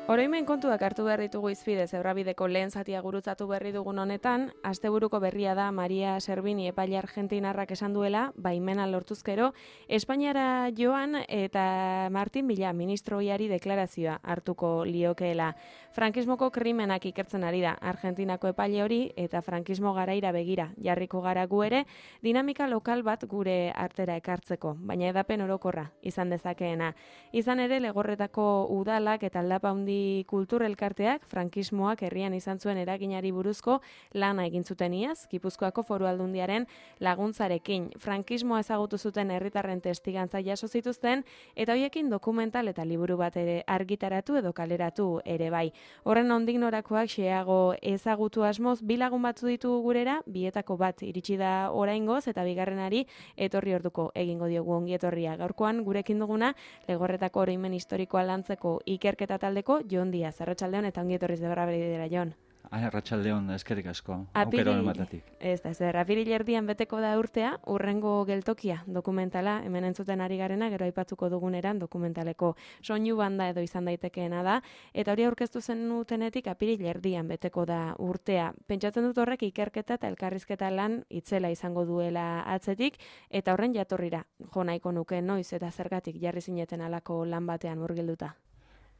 Oroimen kontuak hartu behar ditugu izpide Zebrabideko lehen zatia gurutzatu berri dugun honetan, asteburuko berria da Maria Servini epaile argentinarrak esan duela, baimena lortuzkero, Espainiara joan eta Martin Villa ministroiari deklarazioa hartuko liokeela. Frankismoko krimenak ikertzen ari da Argentinako epaile hori eta frankismo garaira begira jarriko gara gu ere, dinamika lokal bat gure artera ekartzeko, baina edapen orokorra izan dezakeena. Izan ere Legorretako udalak eta aldapa handi kultur elkarteak frankismoak herrian izan zuen eraginari buruzko lana egin zuten iaz, Gipuzkoako Foru Aldundiaren laguntzarekin. Frankismoa ezagutu zuten herritarren testigantza jaso zituzten eta hoiekin dokumental eta liburu bat ere argitaratu edo kaleratu ere bai. Horren ondik norakoak xeago ezagutu asmoz bi lagun batzu ditugu gurera, bietako bat iritsi da oraingoz eta bigarrenari etorri orduko egingo diogu ongi etorria. Gaurkoan gurekin duguna Legorretako oroimen historikoa lantzeko ikerketa taldeko Jon Diaz, arratsaldeon eta ongi etorriz Zebrabidera, Jon. Arratsaldeon, eskerrik asko. Aukera honetatik. Ez da, apiril erdian beteko da urtea, urrengo geltokia dokumentala, hemen entzuten ari garena, gero aipatuko duguneran dokumentaleko soinu banda edo izan daitekeena da, eta hori aurkeztu zenutenetik apiril erdian beteko da urtea. Pentsatzen dut horrek ikerketa eta elkarrizketa lan itzela izango duela atzetik, eta horren jatorrira, jo nahiko nuke noiz eta zergatik jarri zineten alako lan batean murgilduta.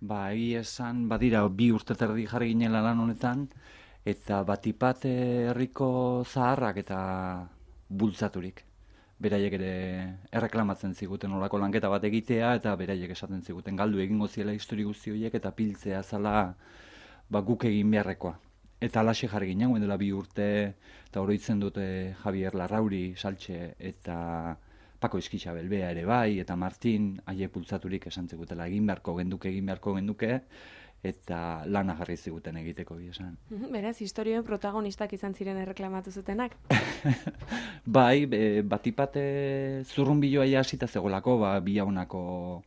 Egia esan, badira, 2 urte eta erdi jarri ginela lan honetan, eta batipat herriko zaharrak eta bultzaturik. Beraiek ere erreklamatzen ziguten olako lanketa bat egitea, eta beraiek esaten ziguten galdu egingo ziela histori guzti horiek, eta piltzea zala guk egin beharrekoa. Eta alaxe jarri ginen, dela 2 urte, eta oroitzen dute Javier Larrauri, Saltxe, eta Pako Izkitxa Belbea ere bai, eta Martin, haiek bultzaturik esan zigutela egin beharko genduke, eta lana jarri ziguten egiteko esan. Beraz, historioen protagonistak izan ziren erreklamatu zutenak? Bai, batipat zurrunbiloa hasita zegoelako, Biaunako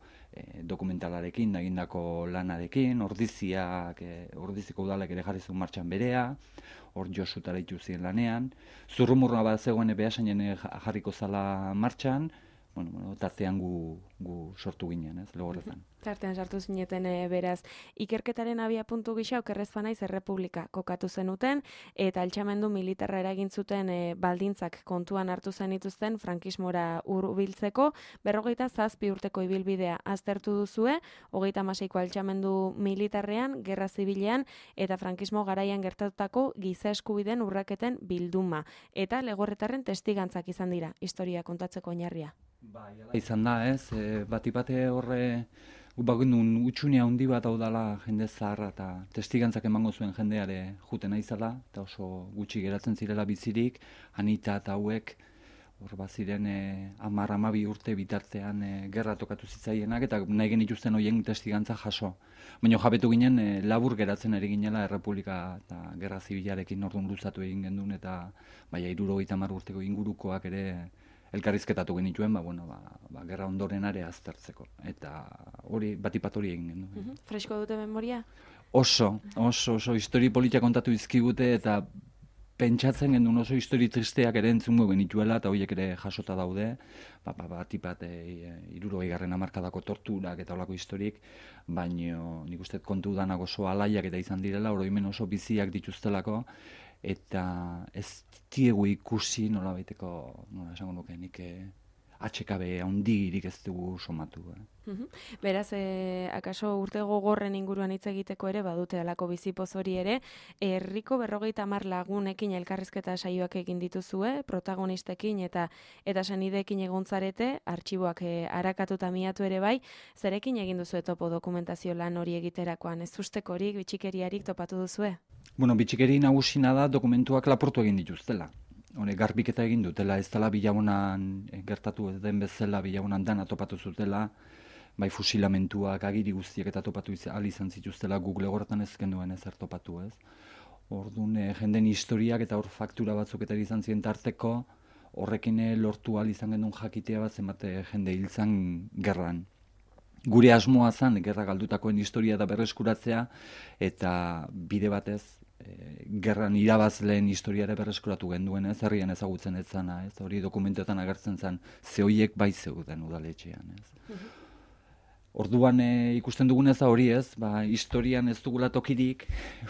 dokumentalarekin, egindako lanarekin, Ordiziko udalek ere jarri zuen martxan berea, hor Josutara ituzien lanean. Zurrumurra bat zegoen behasainen jarriko zala martxan, tartean gu sortu ginen, Legorretan. Tartean sartu zineten beraz. Ikerketaren abiapuntu gisa okerrez banaiz Errepublika kokatu zenuten, eta altxamendu militarra eragin zuten baldintzak kontuan hartu zenituzten frankismora hurbiltzeko, 47 urteko ibilbidea aztertu duzue, 36ko altxamendu militarrean, gerra zibilean, eta frankismo garaian gertatutako giza eskubideen urraketen bilduma. Eta Legorretarren testigantzak izan dira, historia kontatzeko oinarria. Izan da, batipate horre bagendun utxunea handi bat hau dela jende zaharra eta testigantzak emango zuen jendeare juten aizala, eta oso gutxi geratzen zirela bizirik, Anita eta hauek hor baziren 10-12 urte bitartean gerra tokatu zitzaienak, eta nahi genituzten horien testigantza jaso. Baina jabetu ginen labur geratzen ari ginela Errepublika eta gerra zibilarekin orduan luzatu egin gendun, eta 70 urteko ingurukoak ere elkarrizketatu genituen, gerra ondoren are aztertzeko. Eta hori, batipat hori egin gendu. Fresko dute memoria? Oso histori politia kontatu izkigute, eta pentsatzen gendun oso histori tristeak ere entzungo genituela, eta horiek ere jasota daude, batipat 60. hamarkadako torturak eta olako historik, baina nik uste kontu danak oso alaiak eta izan direla, oroimen oso biziak dituztelako, eta ez diegu ikusi nola esango nuke nik HKB handirik ez dugu somatu. Beraz, akaso urte gogorren inguruan hitz egiteko ere badute alako bizipoz hori ere, herriko 50 lagunekin elkarrizketa saioak egin dituzue, protagonistekin eta senideekin egontzarete, artxiboak arakatuta miatu ere bai, zerekin egin duzue topo dokumentazio lan hori egiterakoan, ez ustekorik, bitxikeriarik topatu duzue? Bitxikeri nagusina da dokumentuak laportu egin dituztela. Garbiketa egin dutela, ez dela Bilaunan gertatu den bezala, Bilaunan dana topatu zutela, bai fusilamentuak, agiri guztiak eta topatu izan zituztela, Google Legorretan ez genduen ezer topatu, ez. Orduan, jenden historiak eta hor faktura batzuk eta izan ziren tarteko, horrekin lortu izan gendun jakitea bat zenbat jende hil zan gerran. Gure asmoa zen, gerra galdutakoen historia da berreskuratzea, eta bide batez, gerran irabazleen historiare berreskuratu genduen, ez, herrian ezagutzen ez zana, ez, hori dokumentuetan agertzen zen, ze horiek bai zeuden udaletxean, ez. Orduan ikusten dugunez da hori ez, historian ez dugula tokirik,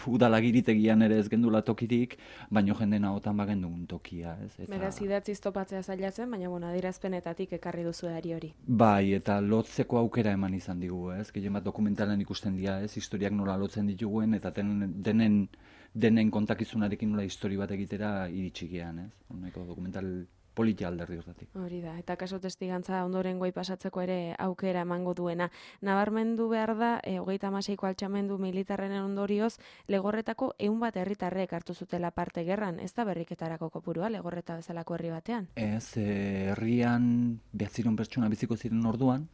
udalagiritegian ere ez gendula tokirik, baino jenden ahotan bagendugun tokia, ez? Beraz, idatziz topatzea zailatzen, baina adierazpenetatik ekarri duzu hori. Bai, eta lotzeko aukera eman izan digu, ez? Gehien bat dokumentalan ikusten dira, ez? Historiak nola lotzen dituguen, eta denen kontakizunarekin nola histori bat egitera iritsigean, ez? Honeko dokumental politia alderdi hortatik. Hori da, eta kaso testigantza ondoren goi pasatzeko ere aukera emango duena. Nabarmendu behar da, 36ko altxamendu militarrenen ondorioz, Legorretako 100 herritarrek hartu zutela parte gerran, ez da berriketarako kopurua, Legorreta bezalako herri batean? Ez, herrian 900 pertsona biziko ziren orduan,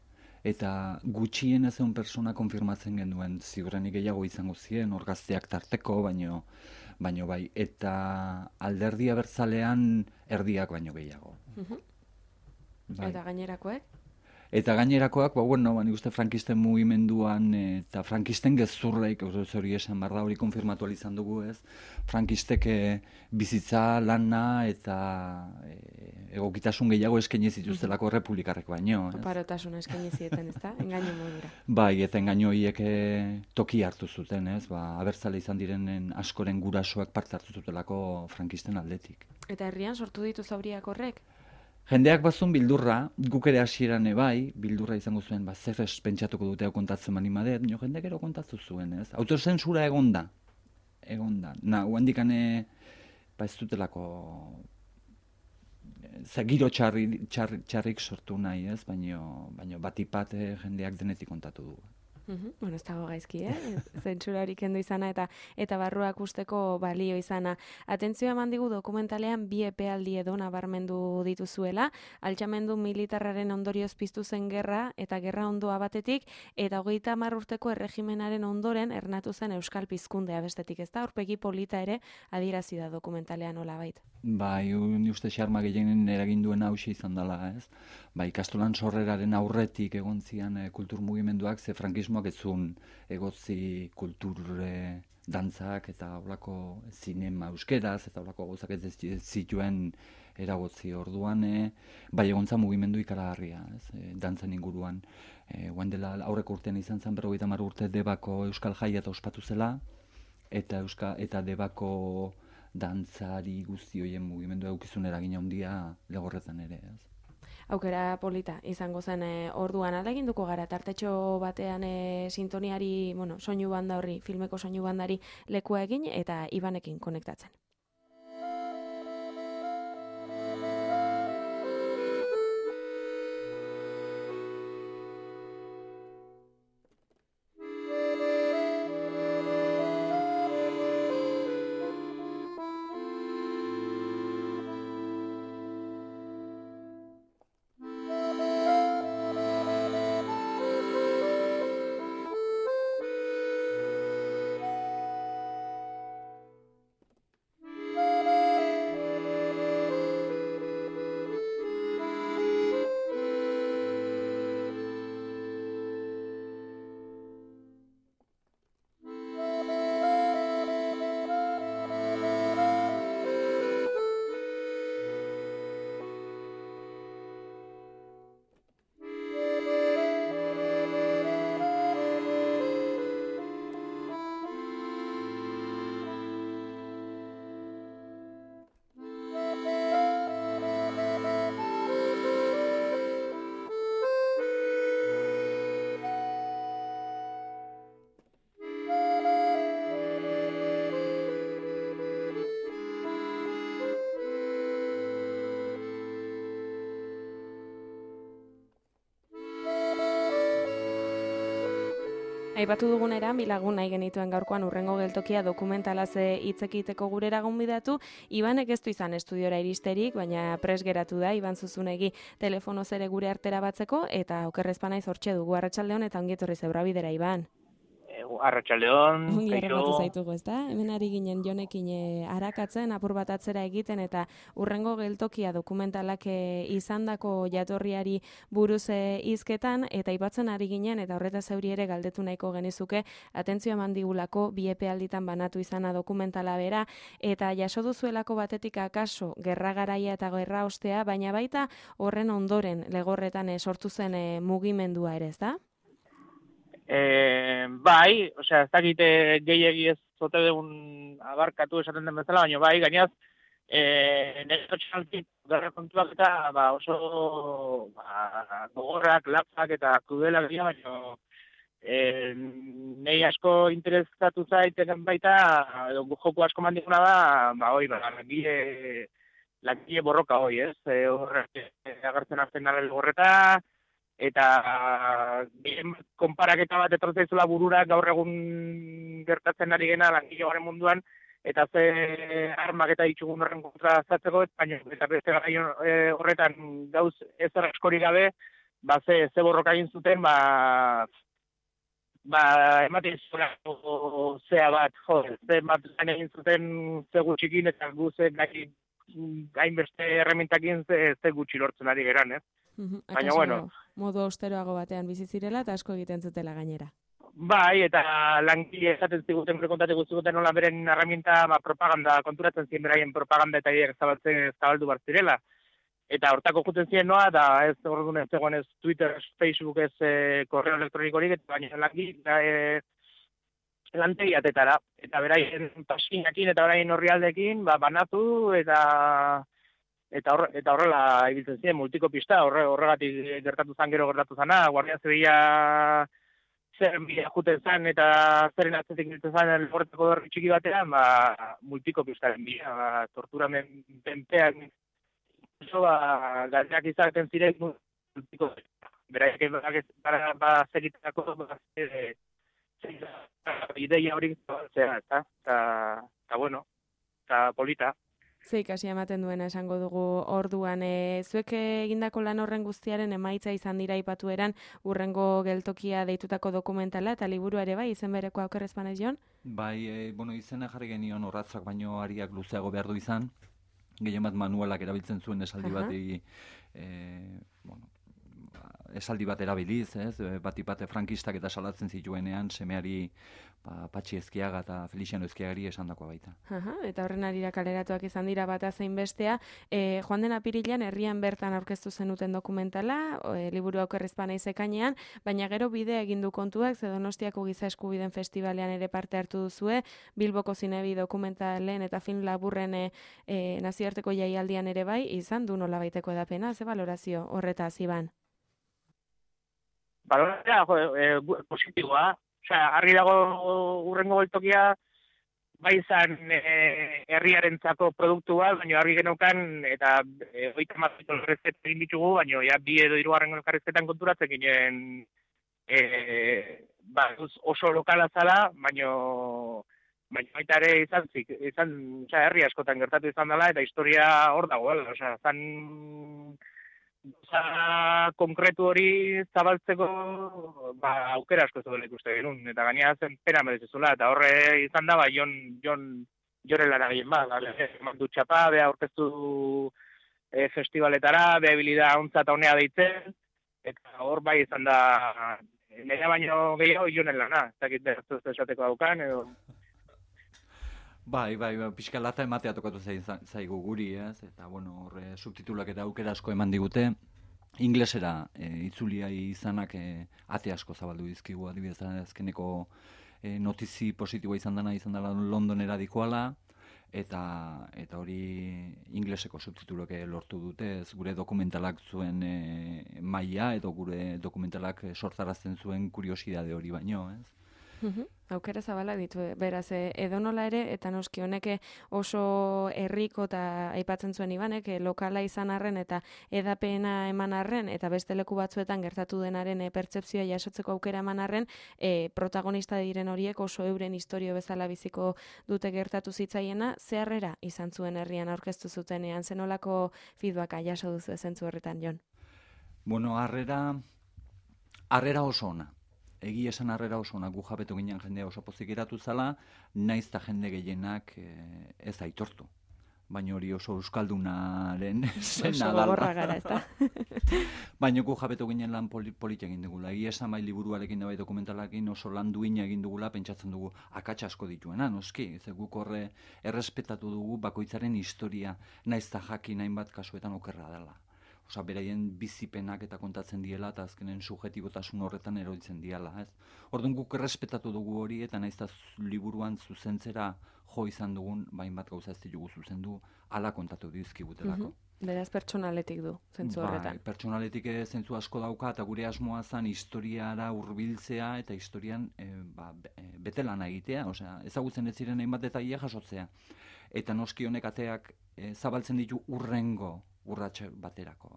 eta gutxien ez egun persona konfirmatzen genuen, ziurrenik gehiago izango ziren, orgazteak tarteko, baino bai, eta alderdi abertzalean erdiak baino gehiago. Bai. Eta gainerakoek? Eta gainerakoak, nik uste frankisten mugimenduan eta frankisten gezurreik, hori esan behar da, hori konfirmatu izan dugu ez, frankistek bizitza, lana eta egokitasun gehiago eskaini zituztelako republikarrek baino. Oparotasun eskaini zieten, ez da? Engaino modura. Bai, eta engaino hiek toki hartu zuten, ez, abertzale izan direnen askoren gurasoak parte hartu zutelako frankisten aldetik. Eta herrian sortu ditu zauriak horrek? Jendeak bazun bildurra, guk ere hasieran bai, bildurra izango zuen, zer pentsatuko dute hau kontatzen mani madet, jendek ero kontatu zuen, ez? Autozentsura egon da. Huendikane, ez dutelako, giro txarrik sortu nahi, ez? Baina batipat jendeak denetik kontatu du. Bueno, ez dago gaizki, zentsurarik kendu izana eta barruak usteko balio izana. Atentzioa eman digu dokumentalean 2 epealdi edo nabarmendu dituzuela, altxamendu militarraren ondorioz piztu zen gerra eta gerra ondoa batetik, eta 30 urteko erregimenaren ondoren ernatu zen euskal pizkundea bestetik, ez da? Aurpegi polita ere adierazi da dokumentalean nolabait. Bai, ni uste xarma gehienen eragin duen hauxe izan dela, ez? Bai, ikastolan sorreraren aurretik egon zian kultur mugimenduak, ze frankismoak ez zuen egotzi kultur dantzak eta holako zinema euskeraz eta holako gauzak ez zituen eragotzi orduan, bai egontza mugimendu ikaragarria, ez? Dantzan inguruan. Guain dela aurreko urtean izan zen 50 urte Debako Euskal Jaia eta ospatu zela, eta Debako dantzari guzti horien mugimendu eukizun eragina handia Legorretan ere, ez? Aukera polita izango zen orduan aleginduko gara tartetxo batean sintoniari, soinu banda horri, filmeko soinu bandari lekua egin eta Ibanekin konektatzen. Aipatu dugunera, bilagun nahi genituen gaurkoan urrengo geltokia dokumentalaz hitz egiteko gurera gonbidatu. Ibanek ez du izan estudiora iristerik, baina pres geratu da, Iban Zuzunegi telefonoz ere gure artera batzeko, eta okerrez panaiz hortxe dugu. Arratsaldeon eta ongi etorri Zebrabidera, Iban. Arratsaldeon, kaixo. Zaitugu, ezta? Hemen ari ginen Jonekin arakatzen, apur bat atzera egiten eta urrengo geltokia dokumentalak izandako jatorriari buruz hizketan eta aipatzen ari ginen eta horretaz zeuri ere galdetu nahiko genizuke atentzioa eman digulako 2 epealditan banatu izana dokumentala bera eta jaso duzuelako batetik akaso gerra garaia eta gerra ostea, baina baita horren ondoren Legorretan sortu zen mugimendua ere, ezta? Bai, osea, ez dakite gehiegi ez zote degun abarkatu esaten den bezala, baina bai, gainaz, nire txaltik gara kontuak eta oso gogorrak, lapzak eta krudelak dira, baina nahi asko interesatu zaiteken baita, edo joko asko mandiguna da, langile borroka hoi, ez? Horrek agertzen azten naren horreta, eta konparaketa bat etortzaizula burura gaur egun gertatzen ari gena langile garen munduan, eta ze armak eta ditugun horren kontra zatzeko, eta beste gai horretan gauz ezer askorik gabe, ze borroka egin zuten, ematen zura zea bat, ze bat lan egin zuten ze gutxikin, eta guze gainbeste erremintakin ze gutxi lortzen ari geran, ez? Baina, bueno. Modu austeroago batean bizi zirela eta asko egiten zutela gainera. Bai, eta langile esaten ziguten, kontatu ziguten nola beren herramienta propaganda, konturatzen ziren beraien propaganda eta ideak zabaldu bar zirela. Eta hortako juten ziren noa, da ez orduan ez zegoen ez Twitter, Facebook, ez korreo elektronikorik, eta baina langile lantegiatetara. Eta beraien pasinakin eta beraien horrialdekin, banatu eta horrela ibiltzen ziren multikopista, horregatik gertatu zan gero gertatu zana, Guardia Zibila zer bila juten zan eta zeren atzetik ibiltzen zan horretako berri txiki batean, multikopistaren bila, torturamen penpeak, galdeak izaten ziren multikopista. Beraiek zeritako ideia horik zabaltzea, eta bueno, eta polita. Ze ikasi ematen duena esango dugu orduan. Zuek egindako lan horren guztiaren emaitza izan dira aipatu eran urrengo geltokia deitutako dokumentala eta liburua ere bai, izen bereko aukerrez banez Jon? Bai, izena jarri genion orratzak baino ariak luzeago behar du izan. Gehien bat manualak erabiltzen zuen esaldi bati, esaldi bat erabiliz, ez? Bat frankistak eta salatzen zituenean semeari Patxi Ezkiaga eta Felixiano Ezkiagari esandakoa baita. Eta horren arira kaleratuak izan dira bata zein bestea. Joan den apirilean herrian bertan aurkeztu zenuten dokumentala, liburu aukerrizpa naiz ekainean, baina gero bidea egin du kontuak, ze Donostiako Giza Eskubideen Festibalean ere parte hartu duzue, Bilboko Zinebi dokumentalen eta film laburren nazioarteko jaialdian ere bai, izan du nolabaiteko edapena, ze balorazio horretaz Iban? Balorazioa positiboa. Argi dago urrengo geltokia bai izan herriarentzako produktu bat, baina argi geneukan eta 30 elkarrizketa egin ditugu, baina ja 2 edo 3 elkarrizketan konturatzen ginen oso lokala zala, baina baita ere izan herri askotan gertatu izan dela eta historia hor dagoela, zan konkretu hori zabaltzeko aukera asko zuela ikuste genuen, eta gainera zen pena merezizula, eta horre izan da, Joren lara gehien eman du txapa, beha aurkeztu festivaletara, beha habilida ontza eta honea deitzen, eta hor bai izan da, nire baino gehiago Jonen lana, ez dakit behar esateko daukan, edo... Bai, pixka lata ematea tokatu zaigu guri, ez? Eta, horre subtitulak eta aukera asko eman digute. Inglesera itzulia izanak ate asko zabaldu dizkigu, adibidez, azkeneko notizi positiboa izan dela Londonera dikoala, eta hori ingleseko subtitulak lortu dute, ez gure dokumentalak zuen maila, edo gure dokumentalak sortarazten zuen kuriosidade hori baino, ez? Aukera zabala ditu, beraz, edonola ere, eta noski honek oso herriko eta aipatzen zuen Ibanek, lokala izan arren eta edapena eman arren, eta beste leku batzuetan gertatu denaren pertsepzioa jasotzeko aukera eman arren, protagonista diren horiek oso euren historio bezala biziko dute gertatu zitzaiena, zeharrera izan zuen herrian aurkeztu zutenean, zenolako feedbacka jaso duzu zentzu horretan, Jon? Harrera oso ona. Egi esan harrera oso ona, gu jabetu ginen jendea oso pozik geratu zala, naiz eta jende gehienak ez aitortu. Baina hori oso euskaldunaren zena dala. Oso gogorra gara, ez da? Baina gu jabetu ginen lan polita egin dugula. Egi esan bai liburuarekin da bai dokumentalarekin oso lan duina egin dugula, pentsatzen dugu akatsa asko dituena, noski. Ze guk horre errespetatu dugu bakoitzaren historia, naiz eta jakin hainbat kasuetan okerra dela. Osa, beraien bizipenak eta kontatzen diela, eta azkenen subjetibotasun horretan eroditzen diela, ez? Orduan guk errespetatu dugu hori, eta nahiz eta liburuan zuzentzera jo izan dugun, hainbat gauza ez ditugu zuzendu, hala kontatu dizkigutelako. Beraz, pertsonaletik du, zentzu horretan. Pertsonaletik zentzu asko dauka, eta gure asmoa zen historiara hurbiltzea eta historian betelana egitea, osea, ezagutzen ez ziren hainbat detaile jasotzea. Eta noski honek ateak zabaltzen ditu urrengo urratxe baterako.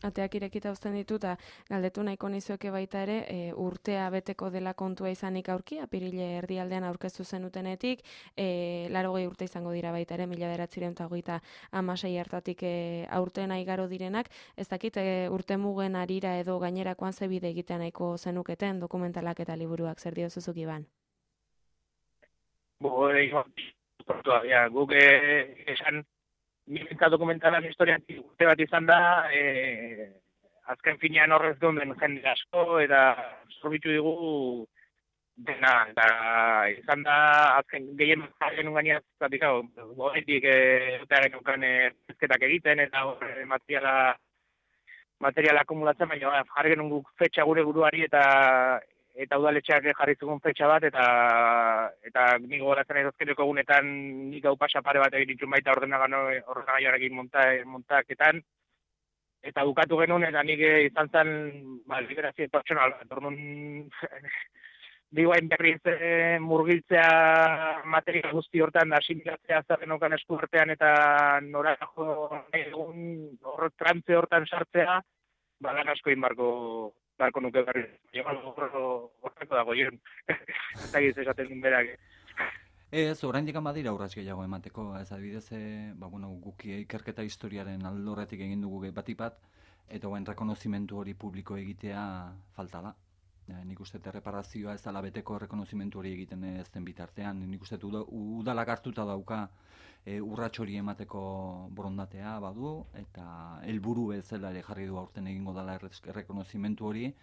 Ateak irekita uzten ditu, eta galdetu nahiko nizueke baita ere, urtea beteko dela kontua izanik aurki, apirile erdialdean aurkeztu zenutenetik, 80 urte izango dira baita ere, 1926 hartatik aurten aigaro direnak, ez dakit urte mugen arira edo gainerakoan zebide egitea nahiko zenuketen dokumentalak eta liburuak, zer dio zuzuk Iban? Guk esan Milenta dokumentalan historian urte bat izan da, azken finean horrez gonden jende asko, eta zorbitu digu dena, eta izan da azken gehien jargen unganiaz, zatik hau, horretik urtearen ukan ezketak egiten, eta materiala akumulatzen, baina jargen unguk fetxa gure buruari, eta udaletxeak jarri zugun fetxa bat, eta nik gogoratzen ezazkeneko egunetan nik hau pasapare bat egin ditun baita ordenagaiarekin montaketan, eta bukatu genuen, eta nik izan zen liberazio pertsonal bat, orduan digoain berriz murgiltzea materia guzti hortan, da asimilatzea zerren okan esku artean, eta nora egun trantze hortan sartzea, lan asko barko nuke berri. Horreko dago, jen. Eta giz esaten duen berak. Ez, oraindik badira urrats gehiago emateko. Ez adibidez, guki ikerketa historiaren aldorretik egin dugu batik bat, eta guen rekonozimentu hori publiko egitea falta da. Nik uste erreparazioa ez dela beteko rekonozimentu hori egiten ez den bitartean. Nik uste udalak hartuta dauka urrats hori emateko borondatea badu, eta helburu bezala ere jarri du aurten egingo dela rekonozimentu hori,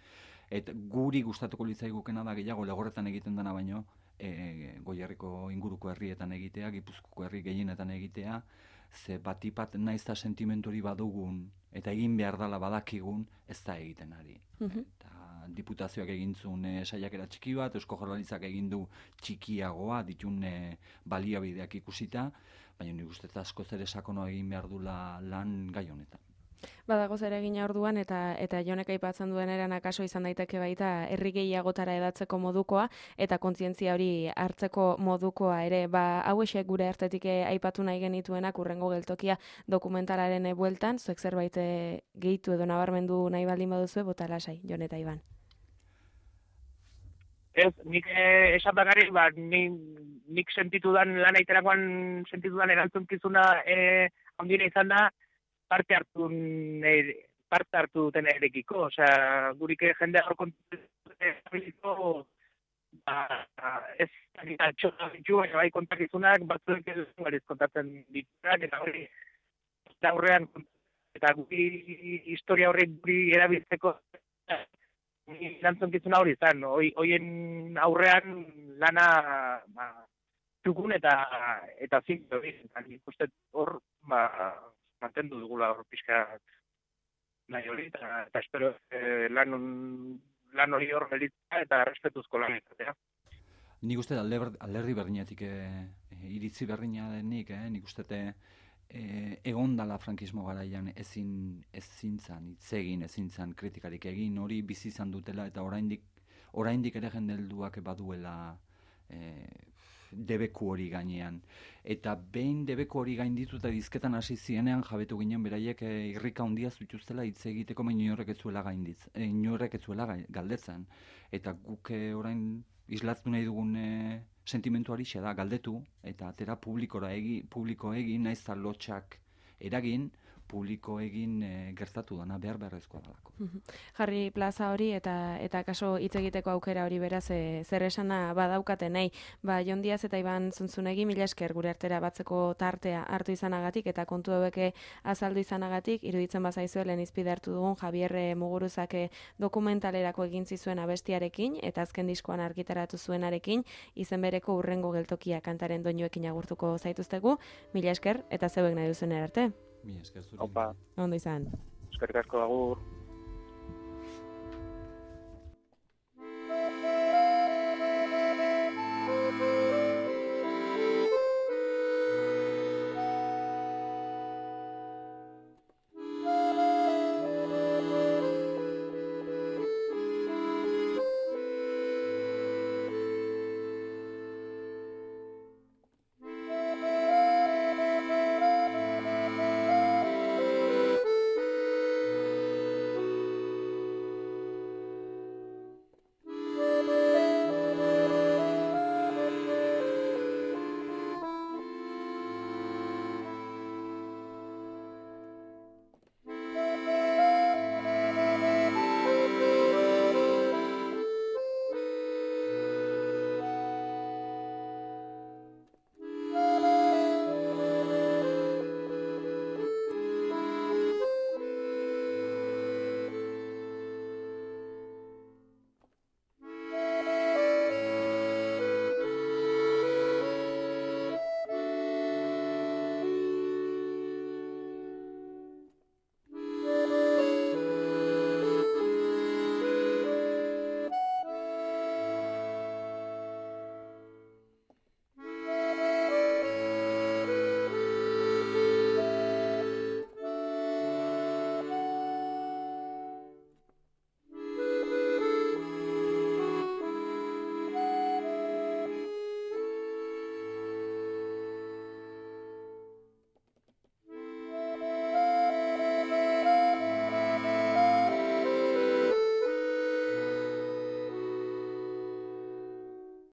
eta guri gustatuko litzaigukena da gehiago legorretan egiten dena baino, Goierriko inguruko herrietan egitea, Gipuzkoako herri gehienetan egitea, ze batipat naiz eta sentimentu hori badugun, eta egin behar dela badakigun, ez da egiten ari. Eta diputazioak egin zuen saiakera txiki bat, Eusko Jaurlaritzak egin du txikiagoa, ditun baliabideak ikusita, baina nik uste asko zer sakonoa egin behar dula lan gai honetan. Badago zer egina orduan, eta Jonek aipatzen duen eran akaso izan daiteke baita herri gehiagotara edatzeko modukoa, eta kontzientzia hori hartzeko modukoa ere, hauexek gure artetik aipatu nahi genituenak urrengo geltokia dokumentalaren bueltan, zuek zerbait gehitu edo nabarmendu nahi baldin baduzue, bota lasai, Jon eta Iban. Ez, nik esan bakarrik, nik sentitudan lan aiterakoan sentitudan erantzunkizuna handire izan da, parte hartu duten erekiko, osea, gurik jende hor kontakizunako, ez txotak ditu, baina bai kontakizunak, batzuek ez kontatzen dituak, eta hori, aurrean, eta guri historia horrek guri erabiltzeko, erantzunkizuna hori izan, hoien aurrean lana txukun eta zinko, eta nik uste hor, mantendu dugula hor pixka nahi hori, eta espero lan hori hor gelitzea eta respetuzko lan izatea. Nik uste alderdi berdinetik iritzi berdina denik, nik uste egon dala frankismo garaian ezin zan, ezin zan kritikarik egin, hori bizi izan dutela, eta oraindik ere jendelduak baduela debeku hori gainean. Eta behin debeku hori gainditu eta dizketan hasi zienean jabetu ginen beraiek irrika handia zituztela hitz egiteko, baina inorrek ez zuela galdetzen. Eta guk orain islatu nahi dugun sentimentu hori da galdetu, eta atera publiko egin, naiz eta lotxak eragin, publiko egin gertatu dana beharrezkoa dalako. Jarri plaza hori eta kaso hitz egiteko aukera hori beraz zer esana badaukaten nahi. Jon Diaz eta Iban Zuntzunegi, mila esker gure artera batzeko tartea hartu izanagatik eta kontu hauek azaldu izanagatik, iruditzen bazaizu lehen izpide hartu dugun Javier Muguruzak dokumentalerako egin zizuen abestiarekin eta azken diskoan argitaratu zuenarekin, izen bereko urrengo geltokia kantaren doinuekin agurtuko zaituztegu. Mila esker eta zeuek nahi duzen arte. Mila esker zure. Opa. Ondo izan. eskerrik asko, agur.